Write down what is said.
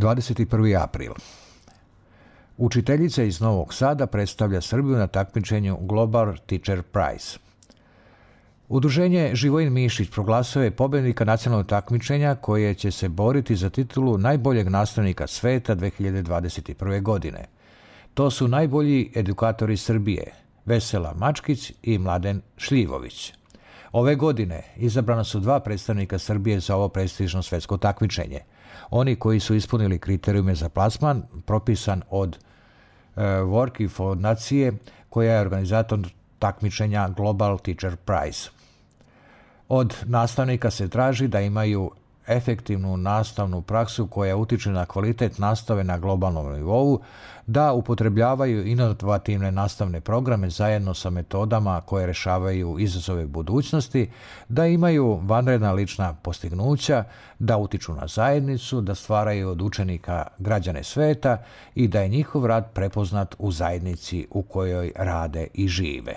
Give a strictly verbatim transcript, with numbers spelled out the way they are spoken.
dvadeset prvi april. Učiteljica iz Novog Sada predstavlja Srbiju na takmičenju Global Teacher Prize. Udruženje Živojin Mišić proglasio je pobednika nacionalnog takmičenja koje će se boriti za titulu najboljeg nastavnika sveta dve hiljade dvadeset prve. godine. To su najbolji edukatori Srbije, Vesela Mačkić i Mladen Šljivović. Ove godine izabrana su dva predstavnika Srbije za ovo prestižno svetsko takmičenje. Oni koji su ispunili kriterijume za plasman, propisan od e, Worki fondacije, koja je organizator takmičenja Global Teacher Prize. Od nastavnika se traži da imaju efektivnu nastavnu praksu koja utiče na kvalitet nastave na globalnom nivou, da upotrebljavaju inovativne nastavne programe zajedno sa metodama koje rešavaju izazove budućnosti, da imaju vanredna lična postignuća, da utiču na zajednicu, da stvaraju od učenika građane sveta i da je njihov rad prepoznat u zajednici u kojoj rade i žive.